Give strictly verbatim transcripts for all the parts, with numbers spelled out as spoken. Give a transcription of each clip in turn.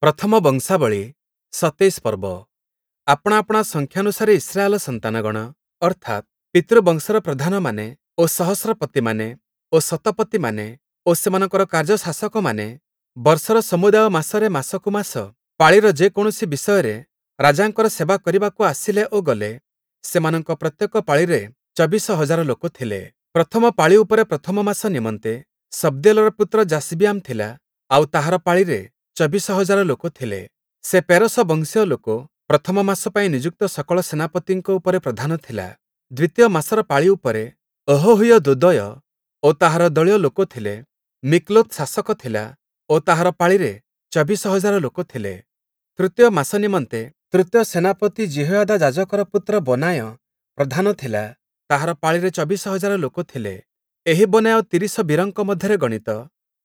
ପ୍ରଥମ ବଂଶାବଳୀ ସତେଇଶ ପର୍ବ। ଆପଣା ଆପଣା ସଂଖ୍ୟାନୁସାରେ ଇସ୍ରାଏଲ ସନ୍ତାନଗଣ, ଅର୍ଥାତ୍ ପିତୃବଂଶର ପ୍ରଧାନମାନେ ଓ ସହସ୍ରପତିମାନେ ଓ ଶତପତିମାନେ ଓ ସେମାନଙ୍କର କାର୍ଯ୍ୟଶାସକମାନେ ବର୍ଷର ସମୁଦାୟ ମାସରେ ମାସକୁ ମାସ ପାଳିର ଯେକୌଣସି ବିଷୟରେ ରାଜାଙ୍କର ସେବା କରିବାକୁ ଆସିଲେ ଓ ଗଲେ। ସେମାନଙ୍କ ପ୍ରତ୍ୟେକ ପାଳିରେ ଚବିଶ ହଜାର ଲୋକ ଥିଲେ। ପ୍ରଥମ ପାଳି ଉପରେ ପ୍ରଥମ ମାସ ନିମନ୍ତେ ସବ୍ଦୀୟେଲର ପୁତ୍ର ଯାଶୋବିୟାମ ଥିଲା, ଆଉ ତାହାର ପାଳିରେ ଚବିଶ ହଜାର ଲୋକ ଥିଲେ। ସେ ପେରସ ବଂଶୀୟ ଲୋକ, ପ୍ରଥମ ମାସ ପାଇଁ ନିଯୁକ୍ତ ସକଳ ସେନାପତିଙ୍କ ଉପରେ ପ୍ରଧାନ ଥିଲା। ଦ୍ୱିତୀୟ ମାସର ପାଳି ଉପରେ ଅହୋହୀୟ ଦୋଦୟ ଓ ତାହାର ଦଳୀୟ ଲୋକ ଥିଲେ। ମିକ୍ଲୋତ୍ ଶାସକ ଥିଲା ଓ ତାହାର ପାଳିରେ ଚବିଶ ହଜାର ଲୋକ ଥିଲେ। ତୃତୀୟ ମାସ ନିମନ୍ତେ ତୃତୀୟ ସେନାପତି ଯିହୋୟାଦା ଯାଜକର ପୁତ୍ର ବନାୟ ପ୍ରଧାନ ଥିଲା, ତାହାର ପାଳିରେ ଚବିଶ ହଜାର ଲୋକ ଥିଲେ। ଏହି ବନାୟ ତିରିଶ ବୀରଙ୍କ ମଧ୍ୟରେ ଗଣିତ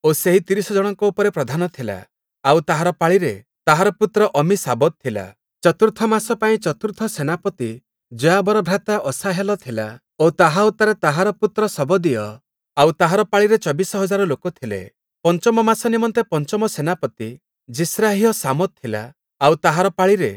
ଓ ସେହି ତିରିଶ ଜଣଙ୍କ ଉପରେ ପ୍ରଧାନ ଥିଲା, ଆଉ ତାହାର ପାଳିରେ ତାହାର ପୁତ୍ର ଅମ୍ମୀଶାବଦ୍ ଥିଲା। ଚତୁର୍ଥ ମାସ ପାଇଁ ଚତୁର୍ଥ ସେନାପତି ଯୋୟାବର ଭ୍ରାତା ଅଶାହେଲ ଥିଲା ଓ ତାହା ଉତ୍ତାରେ ତାହାର ପୁତ୍ର ଶବଦୀୟ, ଆଉ ତାହାର ପାଳିରେ ଚବିଶ ହଜାର ଲୋକ ଥିଲେ। ପଞ୍ଚମ ମାସ ନିମନ୍ତେ ପଞ୍ଚମ ସେନାପତି ଯିସ୍ରାହୀୟ ଶାମୋତ୍ ଥିଲା, ଆଉ ତାହାର ପାଳିରେ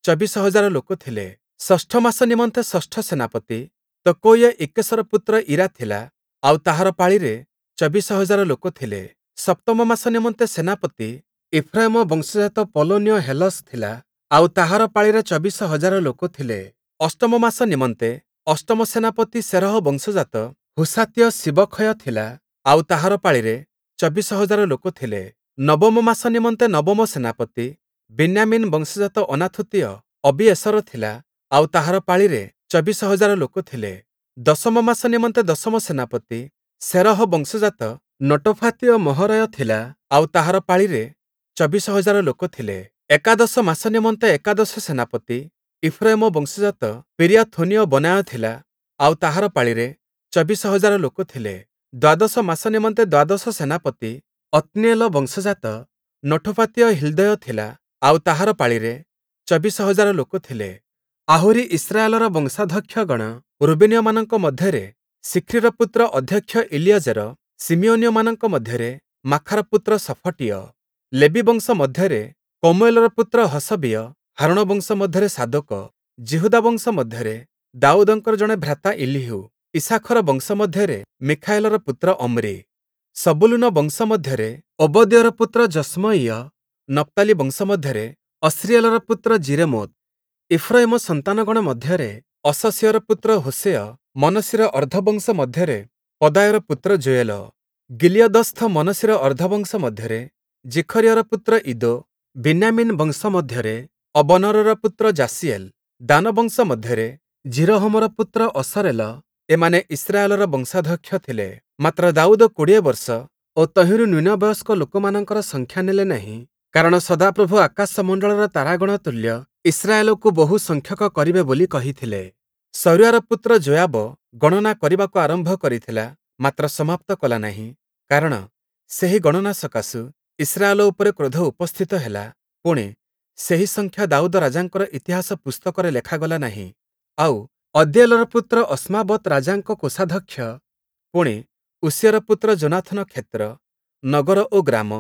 ଚବିଶ ହଜାର ଲୋକ ଥିଲେ। ଷଷ୍ଠ ମାସ ନିମନ୍ତେ ଷଷ୍ଠ ସେନାପତି ତକୋୟୀୟ ଇକ୍କେଶର ପୁତ୍ର ଈରା ଥିଲା, ଆଉ ତାହାର ପାଳିରେ ଚବିଶ ହଜାର ଲୋକ ଥିଲେ। ସପ୍ତମ ମାସ ନିମନ୍ତେ ସେନାପତି ଇଫ୍ରାଇମ ବଂଶଜାତ ପଲୋନୀୟ ହେଲସ୍ ଥିଲା, ଆଉ ତାହାର ପାଳିରେ ଚବିଶ ହଜାର ଲୋକ ଥିଲେ। ଅଷ୍ଟମ ମାସ ନିମନ୍ତେ ଅଷ୍ଟମ ସେନାପତି ସେରହ ବଂଶଜାତ ହୁଶାତୀୟ ସିବଖୟ ଥିଲା, ଆଉ ତାହାର ପାଳିରେ ଚବିଶ ହଜାର ଲୋକ ଥିଲେ। ନବମ ମାସ ନିମନ୍ତେ ନବମ ସେନାପତି ବିନ୍ୟାମୀନ ବଂଶଜାତ ଅନାଥୋତୀୟ ଅବିଏଷର ଥିଲା, ଆଉ ତାହାର ପାଳିରେ ଚବିଶ ହଜାର ଲୋକ ଥିଲେ। ଦଶମ ମାସ ନିମନ୍ତେ ଦଶମ ସେନାପତି ସେରହ ବଂଶଜାତ ନଟୋଫାତୀୟ ମହରୟ ଥିଲା, ଆଉ ତାହାର ପାଳିରେ ଚବିଶ ହଜାର ଲୋକ ଥିଲେ। ଏକାଦଶ ମାସ ନିମନ୍ତେ ଏକାଦଶ ସେନାପତି ଇଫ୍ରାଇମ ବଂଶଜାତ ପିରିୟାଥୋନୀୟ ବନାୟ ଥିଲା, ଆଉ ତାହାର ପାଳିରେ ଚବିଶ ହଜାର ଲୋକ ଥିଲେ। ଦ୍ୱାଦଶ ମାସ ନିମନ୍ତେ ଦ୍ୱାଦଶ ସେନାପତି ଅତ୍ନୀୟେଲ ବଂଶଜାତ ନଠୋଫାତୀୟ ହିଲ୍ଦୟ ଥିଲା, ଆଉ ତାହାର ପାଳିରେ ଚବିଶ ହଜାର ଲୋକ ଥିଲେ। ଆହୁରି ଇସ୍ରାଏଲର ବଂଶାଧ୍ୟକ୍ଷଗଣ ରୁବେନୀୟମାନଙ୍କ ମଧ୍ୟରେ ଶିଖ୍ରୀର ପୁତ୍ର ଅଧ୍ୟକ୍ଷ ଇଲିୟଜେର, ଶିମିୟୋନୀୟମାନଙ୍କ ମଧ୍ୟରେ ମାଖାର ପୁତ୍ର ଶଫଟୀୟ, ଲେବୀ ବଂଶ ମଧ୍ୟରେ କମୁଏଲର ପୁତ୍ର ହଶବୀୟ, ହାରୋଣ ବଂଶ ମଧ୍ୟରେ ସାଦୋକ, ଯିହୁଦା ବଂଶ ମଧ୍ୟରେ ଦାଉଦଙ୍କର ଜଣେ ଭ୍ରାତା ଇଲୀହୂ, ଇସ୍ସାଖର ବଂଶ ମଧ୍ୟରେ ମିଖାଏଲର ପୁତ୍ର ଅମ୍ରି, ସବୂଲୂନ ବଂଶ ମଧ୍ୟରେ ଓବଦୀୟର ପୁତ୍ର ଯଶ୍ମୟୀୟ, ନପ୍ତାଲି ବଂଶ ମଧ୍ୟରେ ଅସ୍ରୀଏଲର ପୁତ୍ର ଯିରେମୋତ୍, ଇଫ୍ରୟିମ ସନ୍ତାନଗଣ ମଧ୍ୟରେ ଅଶସୀୟର ପୁତ୍ର ହୋଶେୟ, ମନସିର ଅର୍ଦ୍ଧବଂଶ ମଧ୍ୟରେ ପଦାୟର ପୁତ୍ର ଯୋୟେଲ, ଗିଲିୟଦସ୍ଥ ମନସିର ଅର୍ଦ୍ଧବଂଶ ମଧ୍ୟରେ ଜିଖରିୟର ପୁତ୍ର ଇଦୋ, ବିନ୍ୟାମୀନ ବଂଶ ମଧ୍ୟରେ ଅବନରର ପୁତ୍ର ଯାସୀଏଲ, ଦାନ ବଂଶ ମଧ୍ୟରେ ଯିରୋହମର ପୁତ୍ର ଅସରେଲ, ଏମାନେ ଇସ୍ରାଏଲର ବଂଶାଧ୍ୟକ୍ଷ ଥିଲେ। ମାତ୍ର ଦାଉଦ କୋଡ଼ିଏ ବର୍ଷ ଓ ତହିଁରୁ ନ୍ୟୁନ ବୟସ୍କ ଲୋକମାନଙ୍କର ସଂଖ୍ୟା ନେଲେ ନାହିଁ, କାରଣ ସଦାପ୍ରଭୁ ଆକାଶମଣ୍ଡଳର ତାରାଗଣ ତୁଲ୍ୟ ଇସ୍ରାଏଲକୁ ବହୁ ସଂଖ୍ୟକ କରିବେ ବୋଲି କହିଥିଲେ। ସରୁୟାର ପୁତ୍ର ଯୋୟାବ ଗଣନା କରିବାକୁ ଆରମ୍ଭ କରିଥିଲା, ମାତ୍ର ସମାପ୍ତ କଲା ନାହିଁ, କାରଣ ସେହି ଗଣନା ସକାଶୁ ଇସ୍ରାଏଲ ଉପରେ କ୍ରୋଧ ଉପସ୍ଥିତ ହେଲା। ପୁଣି, ସେହି ସଂଖ୍ୟା ଦାଉଦ ରାଜାଙ୍କର ଇତିହାସ ପୁସ୍ତକରେ ଲେଖାଗଲା ନାହିଁ। ଆଉ ଅଦୀଏଲର ପୁତ୍ର ଅସ୍ମାବତ୍ ରାଜାଙ୍କ କୋଷାଧ୍ୟକ୍ଷ, ପୁଣି, ଉଷିୟର ପୁତ୍ର ଯୋନାଥନ କ୍ଷେତ୍ର, ନଗର ଓ ଗ୍ରାମ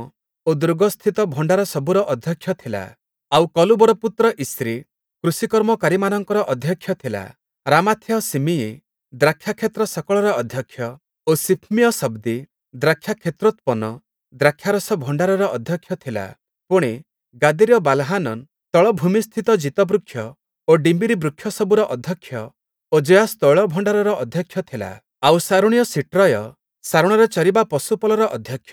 ଓ ଦୁର୍ଗସ୍ଥିତ ଭଣ୍ଡାର ସବୁର ଅଧ୍ୟକ୍ଷ ଥିଲା। ଆଉ କଲୂବର ପୁତ୍ର ଇସ୍ରି କୃଷିକର୍ମକାରୀମାନଙ୍କର ଅଧ୍ୟକ୍ଷ ଥିଲା। ରାମାଥୀୟ ଶିମିୟି ଦ୍ରାକ୍ଷାକ୍ଷେତ୍ର ସକଳର ଅଧ୍ୟକ୍ଷ ଓ ସିଫ୍ମୀୟ ଶବ୍ଦି ଦ୍ରାକ୍ଷାକ୍ଷେତ୍ରୋତ୍ପନ୍ନ ଦ୍ରାକ୍ଷାରସ ଭଣ୍ଡାରର ଅଧ୍ୟକ୍ଷ ଥିଲା। ପୁଣି, ଗାଦୀରୀୟ ବାଲ୍‌ହାନନ୍ ତଳଭୂମିସ୍ଥିତ ଜୀତବୃକ୍ଷ ଓ ଡିମ୍ବିରି ବୃକ୍ଷ ସବୁର ଅଧ୍ୟକ୍ଷ ଓ ଯୋଆଶ୍ ତୈଳ ଭଣ୍ଡାରର ଅଧ୍ୟକ୍ଷ ଥିଲା। ଆଉ ଶାରୋଣୀୟ ସିଟ୍ରୟ ଶାରୋଣରେ ଚରିବା ପଶୁପଲର ଅଧ୍ୟକ୍ଷ,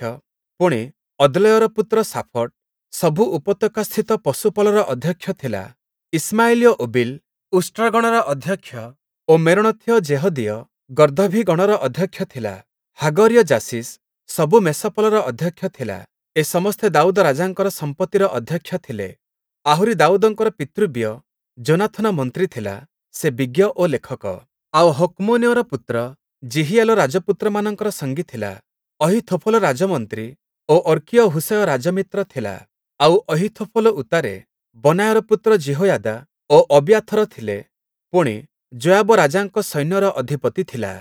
ପୁଣି, ଅଦ୍ଲୟର ପୁତ୍ର ଶାଫଟ ସବୁ ଉପତ୍ୟକାସ୍ଥିତ ପଶୁପଲର ଅଧ୍ୟକ୍ଷ ଥିଲା। ଇଶ୍ମାଏଲୀୟ ଓବିଲ୍ ଉଷ୍ଟ୍ରଗଣର ଅଧ୍ୟକ୍ଷ ଓ ମେରୋଣଥୀୟ ଯେହଦୀୟ ଗର୍ଦ୍ଦଭୀଗଣର ଅଧ୍ୟକ୍ଷ ଥିଲା। ହାଗରୀୟ ଯାଶୀଶ୍ ସବୁ ମେଷପଲର ଅଧ୍ୟକ୍ଷ ଥିଲା। ଏ ସମସ୍ତେ ଦାଉଦ ରାଜାଙ୍କର ସମ୍ପତ୍ତିର ଅଧ୍ୟକ୍ଷ ଥିଲେ। ଆହୁରି ଦାଉଦଙ୍କର ପିତୃବ୍ୟ ଯୋନାଥନ ମନ୍ତ୍ରୀ ଥିଲା, ସେ ବିଜ୍ଞ ଓ ଲେଖକ। ଆଉ ହକ୍ମୋନିୟର ପୁତ୍ର ଯିହିଏଲ ରାଜପୁତ୍ରମାନଙ୍କର ସଙ୍ଗୀ ଥିଲା। ଅହୀଥୋଫଲ ରାଜମନ୍ତ୍ରୀ ଓ ଅର୍କୀୟ ହୂଶୟ ରାଜମିତ୍ର ଥିଲା। ଆଉ ଅହୀଥୋଫଲ ଉତ୍ତାରେ ବନାୟର ପୁତ୍ର ଯିହୋୟାଦା ଓ ଅବିୟାଥର ଥିଲେ। ପୁଣି, ଯୋୟାବ ରାଜାଙ୍କ ସୈନ୍ୟର ଅଧିପତି ଥିଲା।